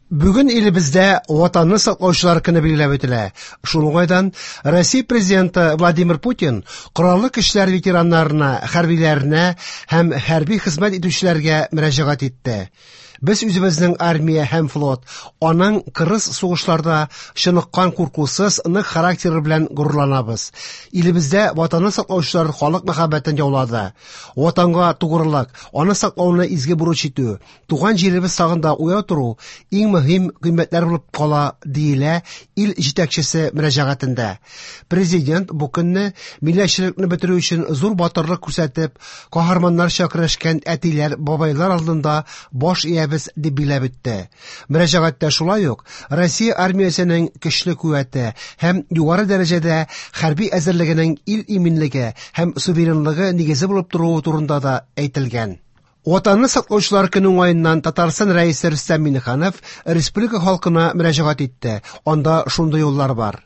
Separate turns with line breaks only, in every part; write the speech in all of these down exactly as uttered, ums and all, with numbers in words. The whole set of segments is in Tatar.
Бүген илебездә Ватанны саклаучылар көне билгеләп үтелә. Шул уңайдан Россия президенты Владимир Путин Кораллы көчләр ветераннарына, хәрбиләренә һәм хәрби хезмәт итүчеләргә мөрәҗәгать итте. Без үзебезнең армия һәм флот, аның кырыс сугышларда чыныккан куркусыз нык характеры белән горурланабыз. Илебездә Ватанны саклаучылар халык мәхәббәтен яулады. Ватанга тугрылык, аны саклауны изге бурыч итү, туган җиребез сагында уяу тору иң мөһим кыйммәтләр булып кала, диелә ил җитәкчесе мөрәҗәгатендә. Президент бу көнне милләтчелекне бетерү өчен зур батырлык күрсәтеп, каһарманнарча көрәшкән әтиләр, бабайлар алдында баш иябез дип билгеләп үтте. Мөрәҗәгатьтә шулай ук Россия армиясенең көчле куәте һәм югары дәрәҗәдә хәрби әзерлегенең ил иминлеге һәм суверенлыгы нигезе булып торуы турында да әйтелгән. Ватанны саклаучылар көне уңаеннан Татарстан Рәисе Рөстәм Миңнеханов республика халкына мөрәҗәгать итте. Анда шундый юллар бар.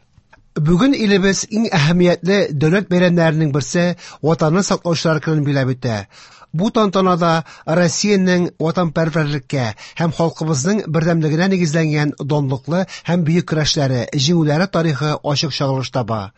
Бүген илебез иң әһәмиятле дәүләт бәйрәмнәренең берсе Ватанны саклаучылар көнен билгеләп үтә. Бу тантанада Россиянең ватанпәрвәрлеккә һәм халкыбызның бердәмлегенә нигезләнгән данлыклы һәм бөек көрәшләре, җиңүләре тарихы ачык чагылыш таба.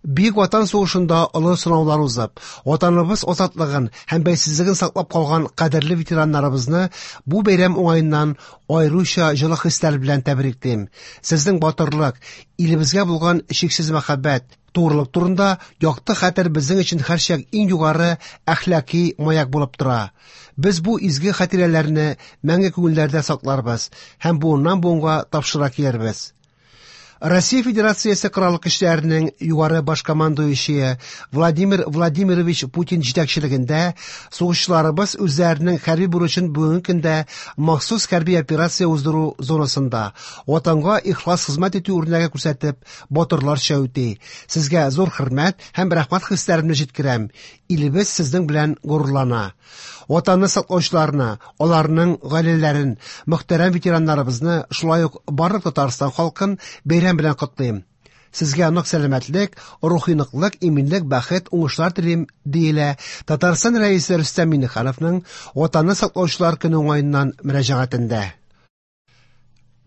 Бөек Ватан сугышында олы сынаулар узып, Ватаныбыз азатлыгын һәм бәйсезлеген саклап калган кадерле ветераннарыбызны бу бәйрәм уңаеннан аеруча җылы хисләр белән тәбриклим. Сезнең батырлык, илебезгә булган чиксез мәхәббәт, тугрылык турында якты хәтер безнең өчен һәрчак иң югары әхлаки маяк булып тора. Без бу изге хатирәләрне мәңге күңелләрдә сакларбыз һәм буыннан буынга тапшыра килербез. Россия Федерациясе Кораллы көчләренең югары баш командующие Владимир Владимирович Путин җитәкчелегендә сугышчыларыбыз үзләренең хәрби бурычын бүгенге көндә махсус хәрби операция уздыру зонасында Ватанга ихлас хезмәт итү үрнәге күрсәтеп, батырларча үти. Сезгә зур хөрмәт һәм рәхмәт хисләремне җиткерәм. Илебез сезнең белән горурлана. Ватанны саклаучыларны, аларның гаиләләрен, мөхтәрәм ветераннарыбызны, шулай ук барлык Татарстан халкын бәйрәм белән котлыйм. Сезгә нык сәламәтлек, рухи ныклык, иминлек, бәхет, уңышлар телим, диелә Татарстан Рәисе Рөстәм Миңнехановның Ватанны саклаучылар көне уңаеннан мөрәҗәгатендә.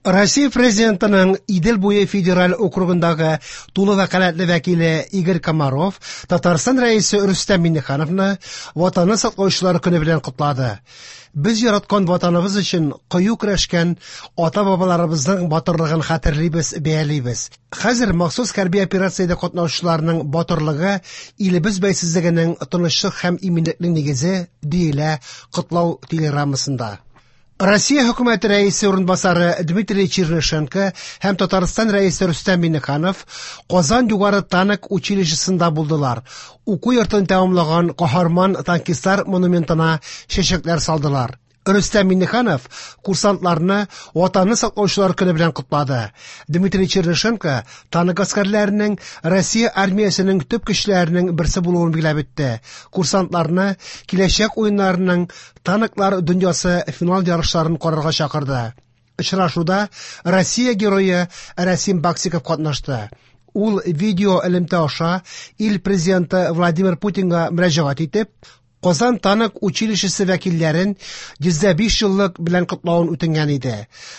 Россия президентының Идел буе федераль округындагы тулы вәкаләтле вәкиле Игорь Комаров Татарстан Рәисе Рөстәм Миңнехановны Ватанны саклаучылар көне белән котлады. Без яраткан ватаныбыз өчен кыю көрәшкән ата-бабаларыбызның батырлыгын хәтерлибез, бәялибез. Хәзер махсус хәрби операциядә катнашучыларның батырлыгы илебез бәйсезлегенең тынычлык һәм иминлекнең нигезе, диелә котлау телеграммасында. Россия хөкүмәте рәисе урынбасары Дмитрий Чернышенко һәм Татарстан рәисе Рөстәм Миңнеханов Казан югары танк училищесында булдылар. Уку йортын тәмамлаган каһарман танкистлар монументына чәчәкләр салдылар. Рөстәм Миңнеханов курсантларны Ватанны саклаучылар көне белән котлады. Дмитрий Чернышенко танк гаскәрләренең Россия армиясенең төп көчләренең берсе булуын билгеләп үтте. Курсантларны киләчәк уеннарының танклар дөньясы финал ярышларын карарга чакырды. Очрашуда Россия герое Рәсим Баксиков катнашты. Ул видео элемтә аша ил президенты Владимир Путинга мөрәҗәгать итеп, Казан танк училищесы вәкилләрен йөз дә биш еллык белән котлавын үтенгән иде.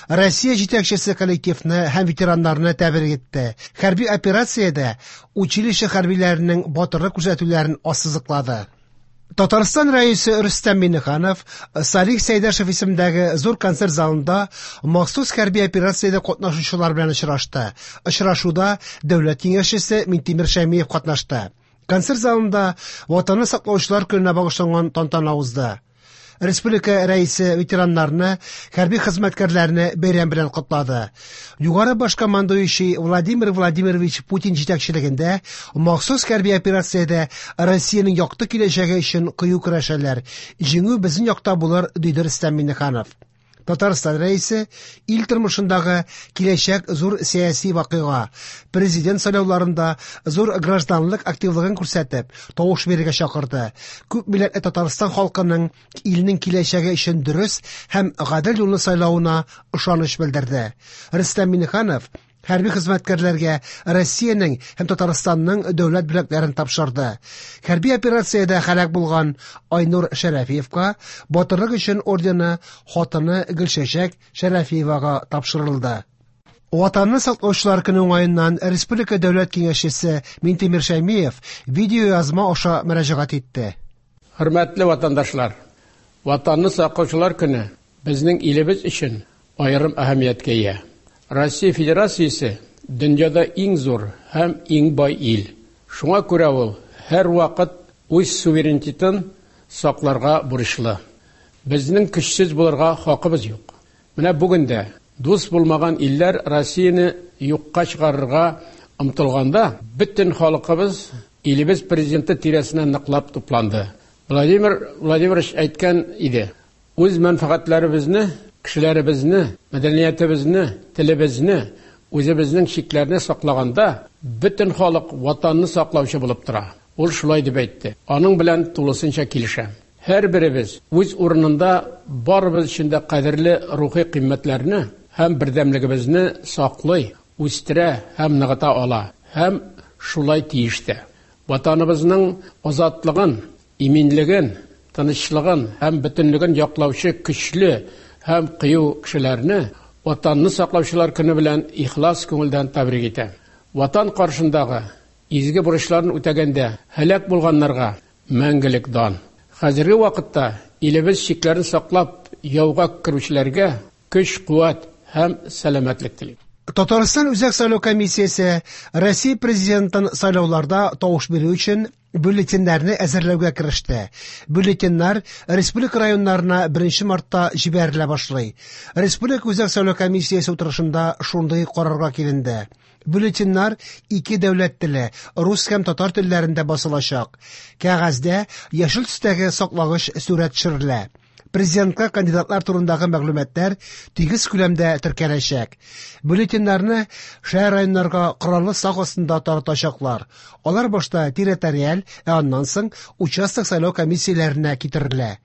Россия җитәкчесе коллективны һәм ветераннарны тәбрик итте. Хәрби операциядә училище хәрбиләренең батырлык күрсәтүләрен ассызыклады. Татарстан рәисе Рөстәм Миңнеханов Салих Сәйдәшев исемендәге зур концерт залында махсус хәрби операциядә катнашучылар белән очрашты. Очрашуда дәүләт киңәшчесе Минтимер Шәймиев катнашты. Концерт залында Ватанны саклаучылар көненә багышланган тантана узды. Республика рәисе ветераннарны, хәрби хезмәткәрләрне бәйрәм белән котлады. Югары баш командующий Владимир Владимирович Путин җитәкчелегендә махсус хәрби операциядә Россиянең якты киләчәге өчен кыю көрәшәләр. Җиңү безнең якта булыр, диде Рөстәм Миңнеханов. Татарстан рәисе ил тормышындагы киләчәк зур сәяси вакыйга, президент сайлауларында зур гражданлык активлыгын күрсәтеп, тавыш бирергә чакырды. Күп милләтле Татарстан халкының илнең киләчәге өчен дөрес һәм гадел юлны сайлавына ышаныч белдерде. Рөстәм Миңнеханов Хәрби хезмәткәрләргә Россиянең һәм Татарстанның дәүләт бүләкләрен тапшырды. Хәрби операциядә һәлак булган Айнур Шәрәфиевка Батырлык өчен ордены хатыны Гөлчәчәк Шәрәфиевага тапшырылды. Ватанны саклаучылар көне уңаеннан Республика Дәүләт Киңәшчесе Минтимер Шәймиев видеоязма аша мөрәҗәгать итте.
Хөрмәтле ватандашлар, Ватанны саклаучылар көне безнең илебез өчен аерым әһәмияткә ия. Россия Федерациясе дөньяда иң зур һәм иң бай ил. Шуңа күрә ул һәрвакыт үз суверенитетын сакларга бурычлы. Безнең көчсез булырга хакыбыз юк. Менә бүген дә дус булмаган илләр Россияне юкка чыгарырга омтылганда, бөтен халкыбыз илебез президенты тирәсенә ныклап тупланды. Владимир Владимирович әйткән иде: үз мәнфәгатьләребезне, кешеләребезне, мәдәниятебезне, телебезне, үзебезнең чикләрне саклаганда, бөтен халык ватанны саклаучы булып тора. Ул шулай дип әйтте. Аның белән тулысынча килешәм. Һәр беребез үз урынында барыбыз өчен дә кадерле рухи кыйммәтләрне һәм бердәмлегебезне саклый, үстерә һәм ныгыта ала, һәм шулай тиеш тә. Ватаныбызның азатлыгын, иминлеген, тынычлыгын һәм бөтенлеген яклаучы көчле һәм кыю кешеләрне Ватанны саклаучылар көне белән ихлас күңелдән тәбрик итәм. Ватан каршындагы изге бурычларын үтәгәндә һәлак булганнарга мәңгелек дан. Хәзерге вакытта илебез чикләрен саклап яуга керүчеләргә көч, куәт һәм сәламәтлек телим.
Татарстан Үзәк сайлау комиссиясе Россия президентын сайлауларда тавыш бирү өчен бюллетеньнәрне әзерләүгә кереште. Бюллетеньнәр республика районнарына беренче мартта җибәрелә башлый. Республика Үзәк сайлау комиссиясе утырышында шундый карарга киленде. Бюллетеньнәр ике дәүләт теле, рус һәм татар телләрендә басылачак. Кәгазьдә яшел төстәге саклагыч сурәт төшерелә. Президентка кандидатлар турындагы мәгълүматлар тигез күләмдә теркәләчәк. Бюллетеньнәрне шәһәр районнарга кораллы сак астында таратачаклар. Алар башта территориаль, ә аннан соң участок сайлау комиссияләренә китерелә.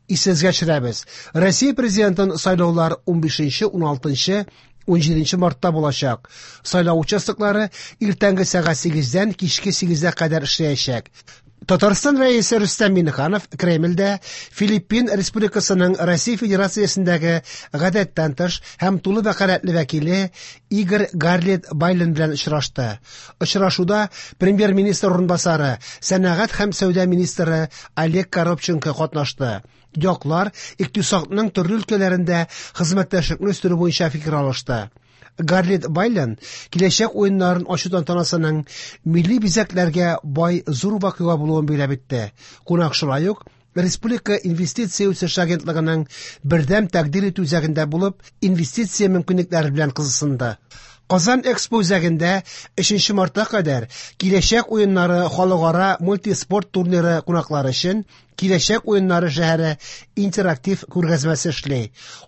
Исегезгә төшерәбез. Россия президентын сайлаулар унбишенче, уналтынчы, унҗиденче мартта булачак. Сайлау участоклары иртәнге сәгать сигездән кичке сигезгә кадәр эшләячәк. Татарстан Рәисе Рөстәм Миңнеханов Кремльдә Филиппин Республикасының Россия Федерациясендәге гадәттән тыш һәм тулы вәкаләтле вәкиле Игорь Гарлет Байлен белән очрашты. Очрашуда премьер-министр урынбасары, сәнәгать һәм сәүдә министры Олег Коробченко катнашты. Яклар икътисадның төрле өлкәләрендә хезмәттәшлекне үстерү буенча фикер алышты. Гарлет Байлен киләчәк уеннарын ачу тантанасының милли бизәкләргә бай зур вакыйга булуын билгеләп үтте. Кунак шулай ук Республика инвестиция үсеше агентлыгының бердәм тәкъдир итү үзәгендә булып, инвестиция мөмкинлекләре белән кызыксынды. Казан Экспо үзәгендә өченче мартка кадәр Киләчәк уеннары халыкара мультиспорт турниры кунаклары өчен Киләчәк уеннары шәһәре интерактив күргәзмәсе эшли.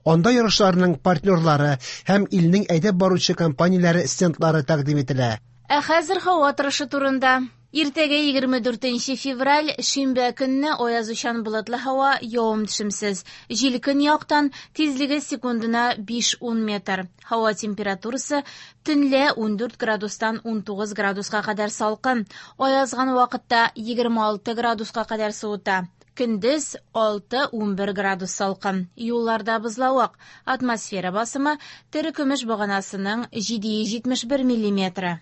Анда ярышларның партнерлары һәм илнең әйдәп баручы компанияләре стендлары тәкъдим ителә.
Ә хәзер һава торышы турында. Иртәгә егерме дүртенче февраль, шимбә көнне аязучан болытлы һава, явым-төшемсез. Җил көньяктан, тизлеге секундына биш-ун метр. Һава температурасы төнлә ундүрт градустан унтугыз градуска кадәр салкын. Аязган вакытта егерме алты градуска кадәр суыта. Көндез алты-унбер градус салкын. Юлларда бозлавык. Атмосфера басымы терекөмеш баганасының җиде йөз җитмеш бер миллиметры.